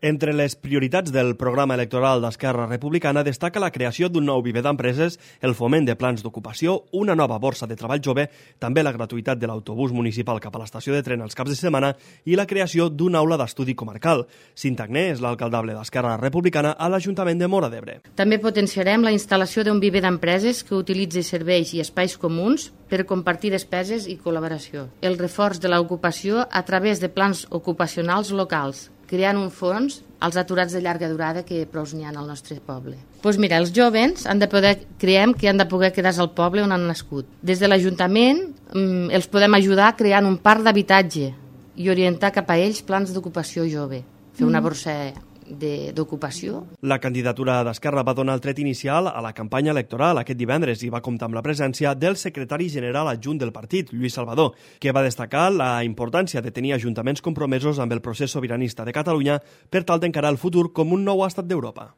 Entre les prioritats del programa electoral d'Esquerra Republicana destaca la creació d'un nou viver d'empreses, el foment de plans d'ocupació, una nova borsa de treball jove, també la gratuïtat de l'autobús municipal cap a l'estació de tren els caps de setmana i la creació d'una aula d'estudi comarcal. Cinta Agné és l'alcaldable d'Esquerra Republicana a l'Ajuntament de Móra d'Ebre. També potenciarem la instal·lació d'un viver d'empreses que utilitzi serveis i espais comuns per compartir despeses i col·laboració. El reforç de l'ocupació a través de plans ocupacionals locals, creant un fons als aturats de llarga durada que prou n'hi ha al nostre poble. Doncs mira, els jovens creiem que han de poder quedar-se al poble on han nascut. Des de l'Ajuntament els podem ajudar creant un parc d'habitatge i orientar cap a ells plans d'ocupació jove, fer una borsa d'ocupació. La candidatura d'Esquerra va donar el tret inicial a la campanya electoral aquest divendres i va comptar amb la presència del secretari general adjunt del partit, Lluís Salvador, que va destacar la importància de tenir ajuntaments compromesos amb el procés sobiranista de Catalunya per tal d'encarar el futur com un nou estat d'Europa.